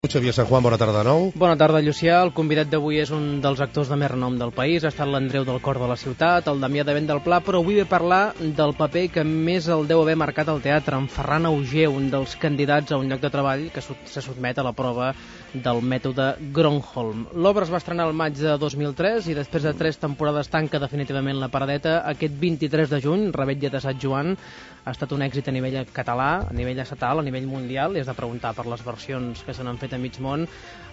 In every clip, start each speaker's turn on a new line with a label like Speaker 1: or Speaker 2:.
Speaker 1: Xavier San Juan, bona tarda de nou.
Speaker 2: Bona tarda, Llucià. El convidat d'avui és un dels actors de més renom del país. Ha estat l'Andreu del Cor de la Ciutat, el Damià de Vent del Pla, però avui ve a parlar del paper que més el deu haver marcat al teatre, en Ferran Auger, un dels candidats a un lloc de treball que se sotmet a la prova del mètode Gronholm. L'obra es va estrenar al maig de 2003 i després de 3 temporades tanca definitivament la paradeta. Aquest 23 de juny, Revetlla de Sant Joan, ha estat un èxit a nivell català, a nivell estatal, a nivell mundial, i has de preguntar per les versions que se n'han fet a mig món.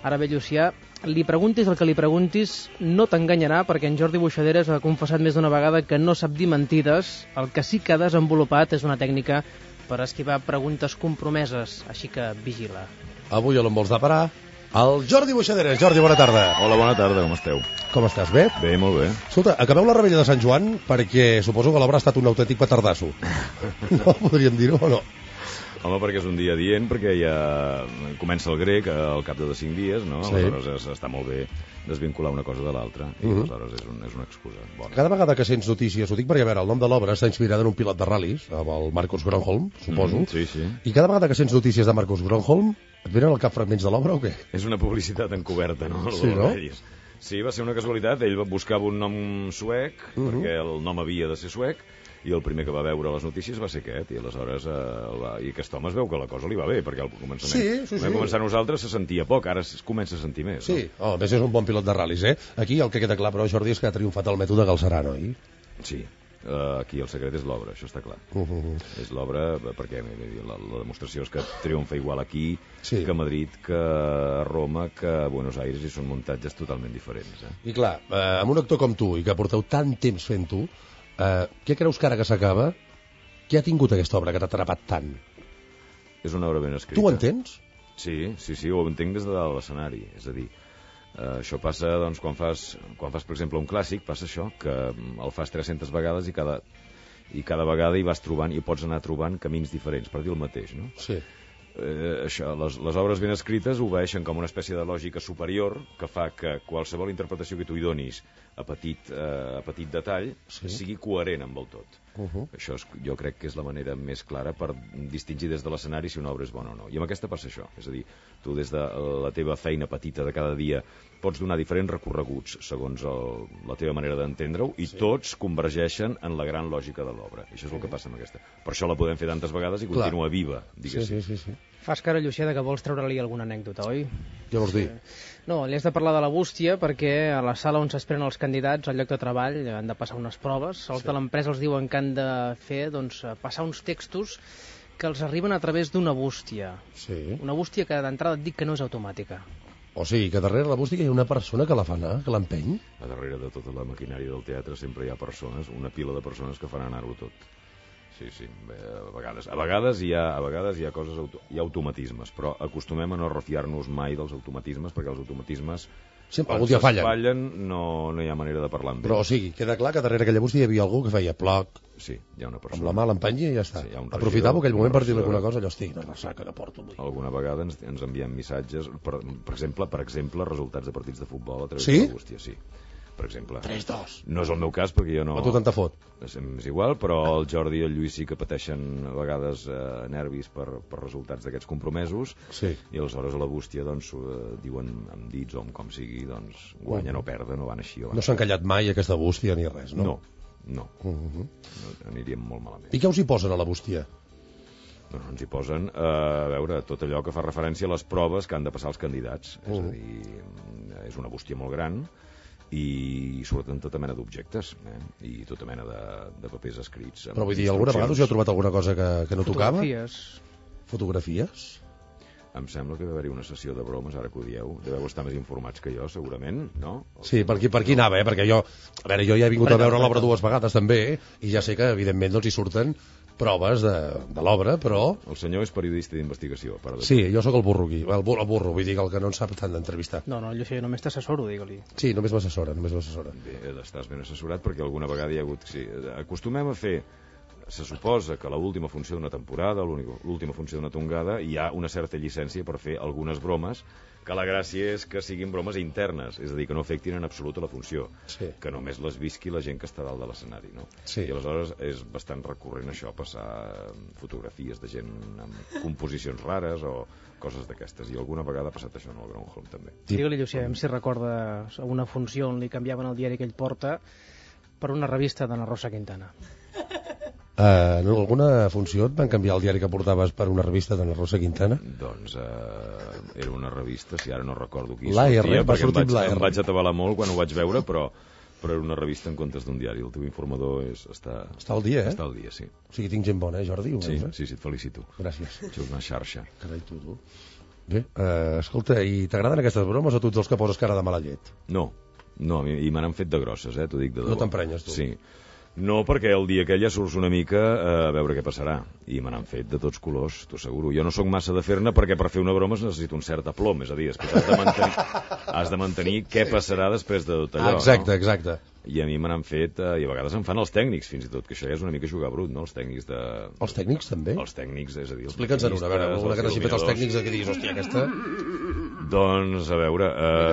Speaker 2: Ara bé, Llucià, li preguntis el que li preguntis, no t'enganyarà, perquè en Jordi Boixaderes ha confessat més d'una vegada que no sap dir mentides. El que sí que ha desenvolupat és una tècnica per esquivar preguntes compromeses, així que vigila.
Speaker 1: Avui on vols de parar? El Jordi Boixaderes. Jordi, bona tarda.
Speaker 3: Hola, bona tarda, com esteu?
Speaker 1: Com estàs, bé?
Speaker 3: Bé, molt bé.
Speaker 1: Escolta, acabeu la Revetlla de Sant Joan perquè suposo que l'obra ha estat un autèntic petardasso. No, podríem dir-ho o no?
Speaker 3: Home, perquè és un dia dient, perquè ja comença el grec al cap de 5 dies, no?
Speaker 1: Sí.
Speaker 3: Aleshores està molt bé desvincular una cosa de l'altra, i aleshores és una excusa bona.
Speaker 1: Cada vegada que sents notícies, ho dic perquè, a veure, el nom de l'obra està inspirat en un pilot de ral·lis, amb el Marcus Gronholm, suposo.
Speaker 3: Sí, sí.
Speaker 1: I cada vegada que sents notícies de Marcus Gronholm, et venen al cap fragments de l'obra o què?
Speaker 3: És una publicitat encoberta, no?
Speaker 1: Sí, no?
Speaker 3: Sí, va ser una casualitat. Ell buscava un nom suec, perquè el nom havia de ser suec, i el primer que va veure les notícies va ser aquest, i aleshores i aquest home es veu que la cosa li va bé, perquè al començament vam començar nosaltres se sentia poc, ara es comença a sentir més.
Speaker 1: Sí, a més és un bon pilot de ral·lis, eh? Aquí el que queda clar, però, Jordi, és que ha triomfat el mètode Galceran, oi?
Speaker 3: Sí, aquí el secret és l'obra, això està clar. És l'obra, perquè la demostració és que triomfa igual aquí que a Madrid, que a Roma, que a Buenos Aires, i són muntatges totalment diferents.
Speaker 1: I clar, amb un actor com tu, i que porteu tant temps fent-ho, què creus que ara que s'acaba, què ha tingut aquesta obra que t'ha atrapat tant?
Speaker 3: És una obra ben escrita.
Speaker 1: Tu ho entens?
Speaker 3: Sí, ho entenc des de l'escenari. És a dir, això passa, doncs, quan fas, per exemple, un clàssic, passa això, que el fas 300 vegades i cada vegada hi vas trobant, i pots anar trobant camins diferents per dir el mateix, no?
Speaker 1: Sí.
Speaker 3: Això, les obres ben escrites obeeixen com una espècie de lògica superior que fa que qualsevol interpretació que tu hi donis a petit detall sigui coherent amb el tot. Això jo crec que és la manera més clara per distingir des de l'escenari si una obra és bona o no. I amb aquesta passa això, és a dir, tu des de la teva feina petita de cada dia pots donar diferents recorreguts segons la teva manera d'entendre-ho, i tots convergeixen en la gran lògica de l'obra. I això és el que passa amb aquesta. Per això la podem fer tantes vegades i continua viva, diguéssim.
Speaker 1: Sí.
Speaker 2: Fas cara, Llucià, que vols treure-li alguna anècdota, oi?
Speaker 1: Què vols dir?
Speaker 2: No, li has de parlar de la bústia, perquè a la sala on s'esperen els candidats al lloc de treball han de passar unes proves. Els de l'empresa els diuen que han de fer, doncs, passar uns textos que els arriben a través d'una bústia.
Speaker 1: Sí.
Speaker 2: Una bústia que d'entrada et dic que no és automàtica.
Speaker 1: O sigui, que darrere la bústia hi ha una persona que la fa anar, que l'empeny?
Speaker 3: A darrere de tota la maquinària del teatre sempre hi ha persones, una pila de persones que fan anar-ho tot. Sí, a vegades hi ha coses, hi ha automatismes, però acostumem a no refiar-nos mai dels automatismes, perquè els automatismes
Speaker 1: algun dia fallen,
Speaker 3: no hi ha manera de parlar amb ells.
Speaker 1: Però o sigui, queda clar que darrere aquella bústia hi havia algú que feia ploc,
Speaker 3: sí, hi ha una persona
Speaker 1: amb la mà l'empenya i ja està.
Speaker 3: Sí,
Speaker 1: aprofitava aquell moment per dir alguna cosa, allò, estic, una ressaca que porto avui.
Speaker 3: Alguna vegada ens enviem missatges, per exemple, resultats de partits de futbol a través
Speaker 1: de
Speaker 3: la bústia, sí. Per exemple.
Speaker 1: 3-2.
Speaker 3: No és el meu cas, perquè jo no...
Speaker 1: A tu tant te fot.
Speaker 3: És igual, però el Jordi i el Lluís sí que pateixen a vegades nervis per resultats d'aquests compromesos, i aleshores a la bústia doncs diuen amb dits o amb com sigui, doncs guanyen o perden, o van així o van.
Speaker 1: No s'ha encallat mai aquesta bústia ni res, no?
Speaker 3: No. Aniríem molt malament.
Speaker 1: I què us hi posen a la bústia?
Speaker 3: Doncs ens hi posen, a veure, tot allò que fa referència a les proves que han de passar els candidats. És a dir, és una bústia molt gran, i surten tota mena d'objectes, i tota mena de papers escrits.
Speaker 1: Però vull dir, alguna vegada us heu trobat alguna cosa que no tocava? Fotografies? Em
Speaker 3: sembla que deu haver-hi una sessió de bromes, ara que ho dieu. Deveu estar més informats que jo, segurament, no?
Speaker 1: Sí, per aquí anava, perquè jo ja he vingut a veure l'obra 2 vegades també, i ja sé que evidentment doncs hi surten proves de l'obra, però...
Speaker 3: El senyor és periodista d'investigació.
Speaker 1: Sí, jo sóc el burro aquí, el burro, vull dir, el que no en sap tant d'entrevistar.
Speaker 2: No, Llucià, només t'assessoro, digue-li.
Speaker 1: Sí, només m'assessora.
Speaker 3: Bé, estàs ben assessorat, perquè alguna vegada hi ha hagut... Sí, acostumem a fer se suposa que l'última funció d'una temporada, l'última funció d'una tongada, hi ha una certa llicència per fer algunes bromes, que la gràcia és que siguin bromes internes, és a dir, que no afectin en absolut a la funció, que només les visqui la gent que està dalt de l'escenari, no? I aleshores és bastant recurrent això, passar fotografies de gent amb composicions rares o coses d'aquestes, i alguna vegada ha passat això en el Groundhog també.
Speaker 2: Digue-li, Llucià, si recorda una funció on li canviaven el diari que ell porta per una revista d'Anna Rosa Quintana.
Speaker 1: En alguna funció et van canviar el diari que portaves per una revista d'Anna Rosa Quintana?
Speaker 3: Doncs era una revista, si ara no recordo qui
Speaker 1: sortia,
Speaker 3: perquè em vaig atabalar molt quan ho vaig veure, però era una revista en comptes d'un diari. El teu informador està
Speaker 1: al dia,
Speaker 3: Està al dia, sí.
Speaker 1: O sigui, tinc gent bona, Jordi?
Speaker 3: Sí, et felicito.
Speaker 1: Gràcies.
Speaker 3: Ets una xarxa.
Speaker 1: Carai, tu. Bé, escolta, i t'agraden aquestes bromes o tu ets dels que poses cara de mala llet?
Speaker 3: No, i me n'han fet de grosses, t'ho dic de debò.
Speaker 1: No t'emprenyes, tu?
Speaker 3: Sí. No, perquè el dia aquell ja surts una mica a veure què passarà. I me n'han fet de tots colors, t'ho asseguro. Jo no sóc massa de fer-ne perquè per fer una broma es necessita un cert aplom. És a dir, després has de mantenir què passarà després de tot allò.
Speaker 1: Exacte.
Speaker 3: I a mi me n'han fet, i a vegades em fan els tècnics, fins i tot, que això ja és una mica jugar brut, no? Els tècnics de...
Speaker 1: Els tècnics també?
Speaker 3: Els tècnics, és a dir...
Speaker 1: Explica'ns una, a veure, alguna que n'hagi fet els tècnics que diguis, hòstia, aquesta...
Speaker 3: Doncs, a veure,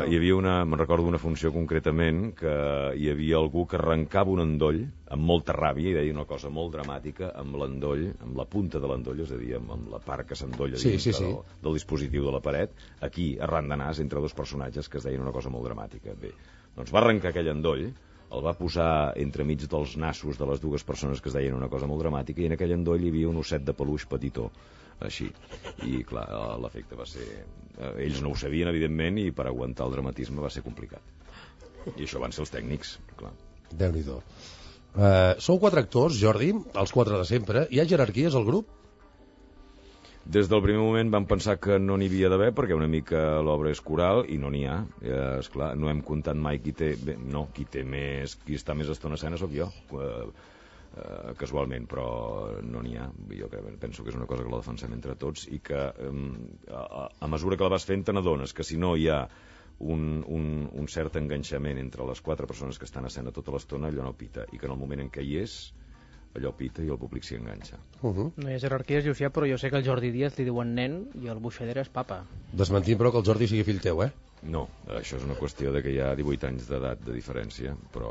Speaker 3: hi havia me'n recordo una funció concretament, que hi havia algú que arrencava un endoll amb molta ràbia i deia una cosa molt dramàtica amb l'endoll, amb la punta de l'endoll, és a dir, amb la part que s'endolla del dispositiu de la paret, aquí, arran de nas, entre dos personatges que es deien una cosa molt dramàtica. Bé, doncs va arrencar aquell endoll, el va posar entremig dels nassos de les dues persones que es deien una cosa molt dramàtica, i en aquell endoll hi havia un osset de peluix petitó, així. I, clar, l'efecte va ser... Ells no ho sabien, evidentment, i per aguantar el dramatisme va ser complicat. I això van ser els tècnics, clar.
Speaker 1: Déu-n'hi-do. Sou 4 actors, Jordi, els 4 de sempre. Hi ha jerarquies al grup?
Speaker 3: Des del primer moment vam pensar que no n'hi havia d'haver, perquè una mica l'obra és coral i no n'hi ha. Esclar, no hem comptat mai qui està més estona a escena sóc jo, casualment, però no n'hi ha. Jo penso que és una cosa que la defensem entre tots i que a mesura que la vas fent te n'adones que si no hi ha un cert enganxament entre les 4 persones que estan a escena tota l'estona, allò no pita, i que en el moment en què hi és allò pita i el públic s'hi enganxa.
Speaker 2: No hi ha jerarquies, Llucià, però jo sé que el Jordi Díaz li diuen nen i el Buixadera és papa.
Speaker 1: Desmentim, però, que el Jordi sigui fill teu,
Speaker 3: No, això és una qüestió de que hi ha 18 anys d'edat de diferència, però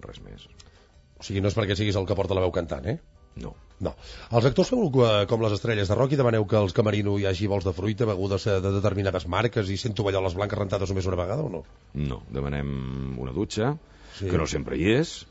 Speaker 3: res més.
Speaker 1: O sigui, no és perquè siguis el que porta la veu cantant,
Speaker 3: No.
Speaker 1: Els actors feu com les estrelles de rock i demaneu que als camerino hi hagi bols de fruita, begudes de determinades marques i 100 tovalloles blanques rentades només una vegada o no?
Speaker 3: No, demanem una dutxa, que no sempre hi és.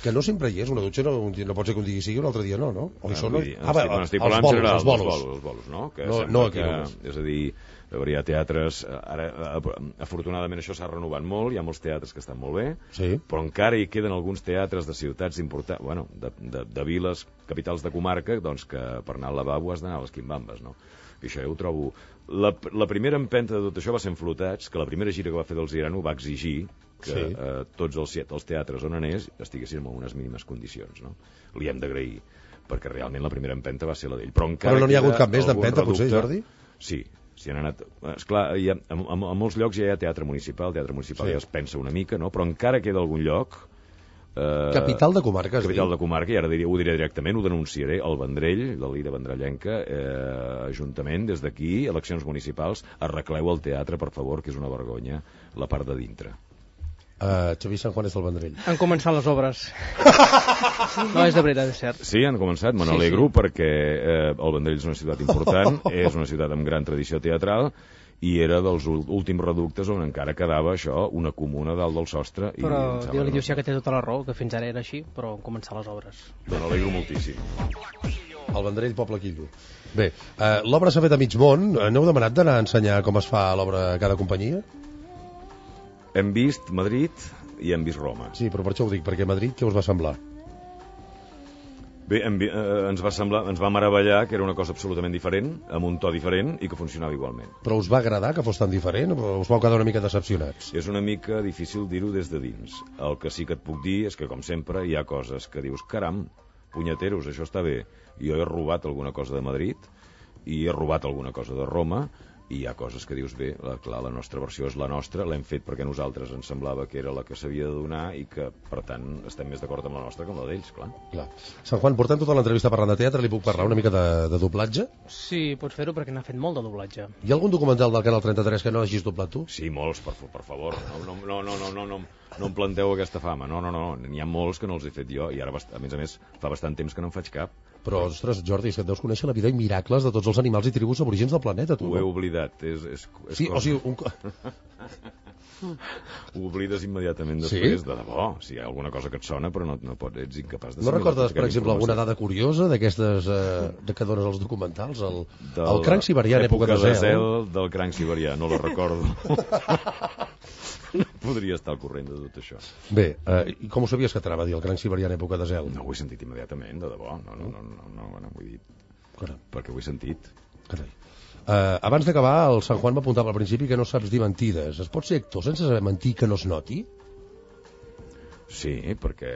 Speaker 1: Que no sempre hi és, una dutxa no pot ser que un dia sigui i un altre dia no? O hi són...
Speaker 3: Estic parlant en general, els bolos, no?
Speaker 1: No aquí només.
Speaker 3: És a dir, hi ha teatres... Ara, afortunadament, això s'ha renovat molt, hi ha molts teatres que estan molt bé, però encara hi queden alguns teatres de ciutats importants, bueno, de viles, capitals de comarca, doncs que per anar al lavabo has d'anar a les quimbambes, no? I això jo ho trobo... La primera empenta de tot això va ser en Flotats, que la primera gira que va fer del Zirano va exigir que tots els teatres on anés estiguessin en unes mínimes condicions, no? Li hem d'agrair, perquè realment la primera empenta va ser la d'ell. Però
Speaker 1: no n'hi ha hagut cap més d'empenta, potser, Jordi?
Speaker 3: Sí, han anat... Esclar, a molts llocs ja hi ha teatre municipal ja es pensa una mica, no? Però encara queda algun lloc...
Speaker 1: Capital de comarca,
Speaker 3: Capital de comarca, i ara ho diré directament, ho denunciaré, el Vendrell, la Lira Vendrellenca, Ajuntament, des d'aquí, eleccions municipals, arregleu el teatre, per favor, que és una vergonya, la part de dintre.
Speaker 1: Xavi San Juan és del Vendrell.
Speaker 2: Han començat les obres. No, és de veritat, és cert.
Speaker 3: Sí, han començat, me n'alegro, perquè el Vendrell és una ciutat important, és una ciutat amb gran tradició teatral, i era dels últims reductes on encara quedava això, una comuna dalt del sostre.
Speaker 2: Però diu-li, Llucià, que té tota la raó, que fins ara era així, però han començat les obres.
Speaker 3: Me n'alegro moltíssim.
Speaker 1: El Vendrell, poble quillo. Bé, l'obra s'ha fet a mig món. N'heu demanat d'anar a ensenyar com es fa l'obra a cada companyia?
Speaker 3: Hem vist Madrid i hem vist Roma.
Speaker 1: Sí, però per això ho dic, perquè Madrid què us va semblar?
Speaker 3: Bé, ens va meravellar que era una cosa absolutament diferent, amb un to diferent i que funcionava igualment.
Speaker 1: Però us va agradar que fos tan diferent o us vau quedar una mica decepcionats?
Speaker 3: És una mica difícil dir-ho des de dins. El que sí que et puc dir és que, com sempre, hi ha coses que dius, caram, punyeteros, això està bé. Jo he robat alguna cosa de Madrid i he robat alguna cosa de Roma i hi ha coses que dius, bé, clar, la nostra versió és la nostra, l'hem fet perquè nosaltres ens semblava que era la que s'havia de donar i que, per tant, estem més d'acord amb la nostra que amb la d'ells, clar.
Speaker 1: Sant Juan, portem tota l'entrevista parlant de teatre, li puc parlar una mica de doblatge?
Speaker 2: Sí, pots fer-ho perquè n'ha fet molt de doblatge.
Speaker 1: Hi ha algun documental del Canal 33 que no hagis doblat tu?
Speaker 3: Sí, molts, per favor. No em planteu aquesta fama. No. N'hi ha molts que no els he fet jo i ara, a més, fa bastant temps que no en faig cap.
Speaker 1: Però, ostres, Jordi, és que et deus conèixer la vida i miracles de tots els animals i tribus aborígens del planeta, tu.
Speaker 3: Ho he oblidat.
Speaker 1: Sí, o sigui...
Speaker 3: Ho oblides immediatament després, de debò. Si hi ha alguna cosa que et sona, però no pots, ets incapaç de...
Speaker 1: No recordes, per exemple, alguna dada curiosa d'aquestes que dones als documentals? El cranc siberià en època de zel.
Speaker 3: Del cranc siberià, no la recordo. No podria estar al corrent de tot això.
Speaker 1: Bé, i com ho sabies que t'anava a dir el cranc siberià en època de zel?
Speaker 3: No ho he sentit immediatament, de debò. No, vull dir... Perquè ho he sentit.
Speaker 1: Carai. Abans d'acabar, el Sant Juan m'apuntava al principi que no saps dir mentides. Es pot ser actor sense saber mentir que no es noti?
Speaker 3: Sí, perquè,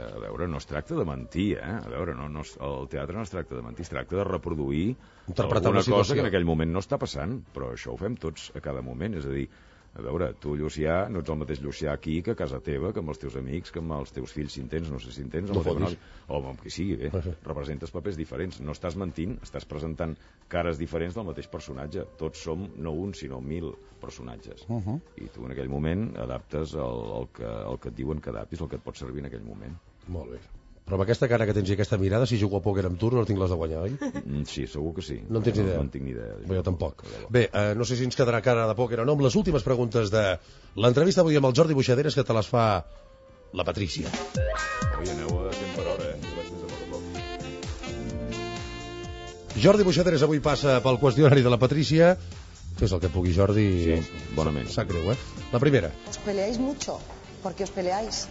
Speaker 3: a veure, no es tracta de mentir, eh? A veure, el teatre no es tracta de mentir, es tracta de reproduir alguna cosa que en aquell moment no està passant, però això ho fem tots a cada moment, és a dir, a veure, tu, Llucià, no ets el mateix Llucià aquí que a casa teva, que amb els teus amics, que amb els teus fills, si en tens, no sé si en tens, o amb qui sigui, bé, representes papers diferents, no estàs mentint, estàs presentant cares diferents del mateix personatge, tots som no un, sinó 1000 personatges, i tu en aquell moment adaptes el que et diuen que adaptis, el que et pot servir en aquell moment.
Speaker 1: Molt bé. Però amb aquesta cara que tens i aquesta mirada, si jugo a pòquer amb tu, no tinc les de guanyar, oi?
Speaker 3: Sí, segur que sí.
Speaker 1: No en tens idea?
Speaker 3: No en tinc ni idea.
Speaker 1: Bé, jo tampoc. Bé, no sé si ens quedarà cara de pòquer o no, amb les últimes preguntes de l'entrevista avui amb el Jordi Boixaderes, que te les fa la Patrícia.
Speaker 3: Oi, aneu a 100 per hora,
Speaker 1: Jordi Boixaderes avui passa pel qüestionari de la Patrícia. Fes el que pugui, Jordi.
Speaker 3: Sí, bonament.
Speaker 1: Sap greu, La primera.
Speaker 4: ¿Os peleáis mucho? ¿Por qué os peleáis?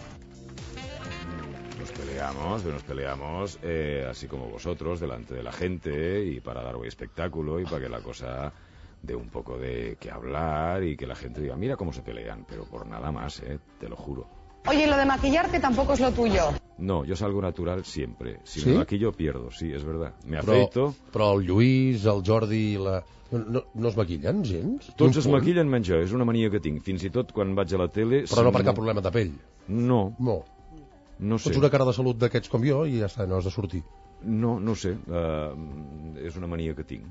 Speaker 3: Nos peleamos así como vosotros, delante de la gente y para dar hoy espectáculo y para que la cosa dé un poco de qué hablar y que la gente diga, mira cómo se pelean, pero por nada más, te lo juro.
Speaker 4: Oye, lo de maquillarte tampoco es lo tuyo.
Speaker 3: No, yo salgo natural siempre. Si
Speaker 1: ¿Sí?
Speaker 3: me maquillo, pierdo, sí, es verdad. Me afeito...
Speaker 1: Però el Lluís, el Jordi... No es maquillen, gens?
Speaker 3: Tots es maquillen menys jo, és una mania que tinc. Fins i tot quan vaig a la tele...
Speaker 1: Però no per cap problema de pell?
Speaker 3: No.
Speaker 1: No sé. Pots una cara de salut d'aquests com jo i ja està, no has de sortir.
Speaker 3: No sé. És una mania que tinc.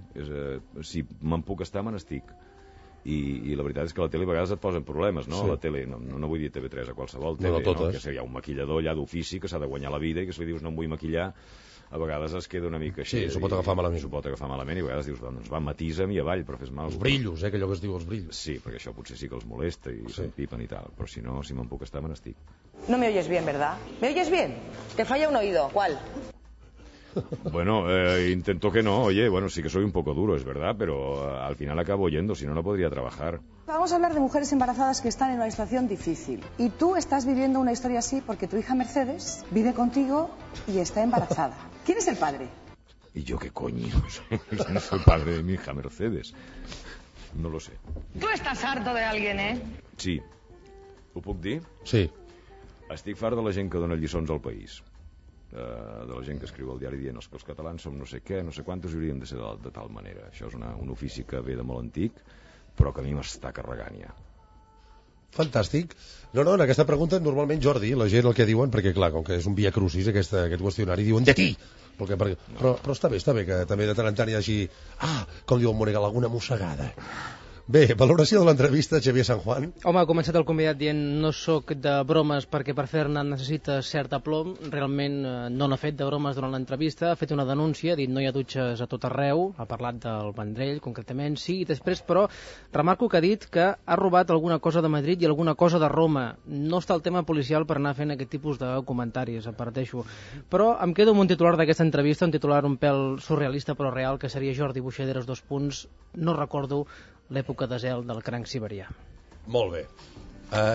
Speaker 3: Si me'n puc estar, me n'estic. I la veritat és que a la tele a vegades et posen problemes, no? Sí. A la tele, no vull dir TV3, a qualsevol tele,
Speaker 1: no,
Speaker 3: que hi ha un maquillador allà d'ofici que s'ha de guanyar la vida i que si li dius no em vull maquillar, a vegades es queda una mica així.
Speaker 1: Sí, s'ho pot agafar malament.
Speaker 3: S'ho pot agafar malament i a vegades dius, doncs va, matisa'm i avall, però fes mal.
Speaker 1: Els brillos, que allò que es diu els brillos.
Speaker 3: Sí, perquè això potser sí que els molesta i s'empipen i tal, però si no, si me'n puc estar, me n'estic.
Speaker 4: No me oyes bien, ¿verdad? ¿Me oyes bien? Te falla un oído, ¿cuál?
Speaker 3: Bueno, intento que no, oye, bueno, sí que soy un poco duro, es verdad, pero al final acabo oyendo, si no, no podría trabajar.
Speaker 4: Vamos a hablar de mujeres embarazadas que están en una situación difícil. Y tú estás viviendo una historia así porque tu hija Mercedes vive contigo y está embarazada. ¿Quién es el padre?
Speaker 3: ¿Y yo qué coño? No soy padre de mi hija Mercedes. No lo sé.
Speaker 4: Tú estás harto de alguien, ¿eh?
Speaker 3: Sí. Ho puc dir?
Speaker 1: Sí.
Speaker 3: Estic fart de la gent que dona lliçons al país. De la gent que escriu al diari dient que els catalans som no sé què, no sé quantos, hauríem de ser de tal manera. Això és un ofici que ve de molt antic, però que a mi m'està carregant ja.
Speaker 1: Fantàstic. No, en aquesta pregunta normalment, Jordi, la gent el que diuen, perquè clar, com que és un via crucis aquest qüestionari, diuen de ti! Però està bé que també de tant en tant hi hagi, com diu el Monegal, alguna mossegada. Bé, valoració de l'entrevista, Xavier San Juan.
Speaker 2: Home, ha començat el convidat dient no sóc de bromes perquè per fer-ne necessites cert aplom. Realment no n'ha fet de bromes durant l'entrevista, ha fet una denúncia, ha dit no hi ha dutxes a tot arreu, ha parlat del Vendrell, concretament, sí, i després, però, remarco que ha dit que ha robat alguna cosa de Madrid i alguna cosa de Roma. No està el tema policial per anar fent aquest tipus de comentaris, aparteixo. Però em quedo amb un titular d'aquesta entrevista, un titular un pèl surrealista però real, que seria Jordi Boixaderes, no recordo l'època de zel del cranc siberià.
Speaker 1: Molt bé.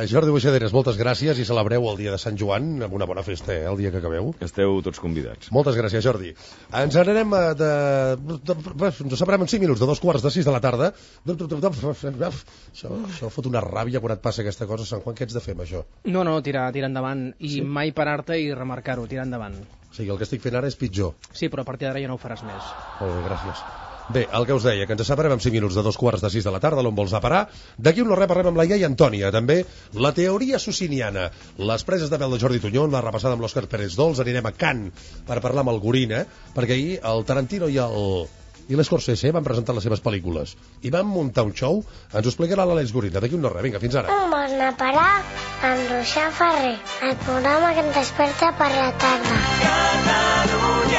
Speaker 1: Jordi Boixaderes, moltes gràcies i celebreu el dia de Sant Joan amb una bona festa, el dia que acabeu.
Speaker 3: Esteu tots convidats.
Speaker 1: Moltes gràcies, Jordi. Ens n'anem ens separem en 5 minuts, de 5:45 de la tarda. Això fot una ràbia quan et passa aquesta cosa, Sant Juan, què ets de fer amb això?
Speaker 2: No, tirar endavant i mai parar-te i remarcar-ho, tirar endavant.
Speaker 1: O sigui, el que estic fent ara és pitjor.
Speaker 2: Sí, però a partir d'ara ja no ho faràs més.
Speaker 1: Molt bé, gràcies. Bé, el que us deia, que ens separem en 5 minuts de 5:45 de la tarda, l'on vols a parar. D'aquí un no res parlem amb la iaia Antònia, també la teoria sociniana, les preses de pèl de Jordi Tuñón, la repassada amb l'Òscar Pérez Dols, anirem a Cannes per parlar amb el Gorina, perquè ahir el Tarantino i l'Scorsese van presentar les seves pel·lícules i van muntar un show. Ens ho explicarà l'Àlex Gorina d'aquí un no res. Vinga, fins ara.
Speaker 5: On vols anar a parar? Amb Roxà Ferrer, el programa que em desperta per la tarda. Catalunya.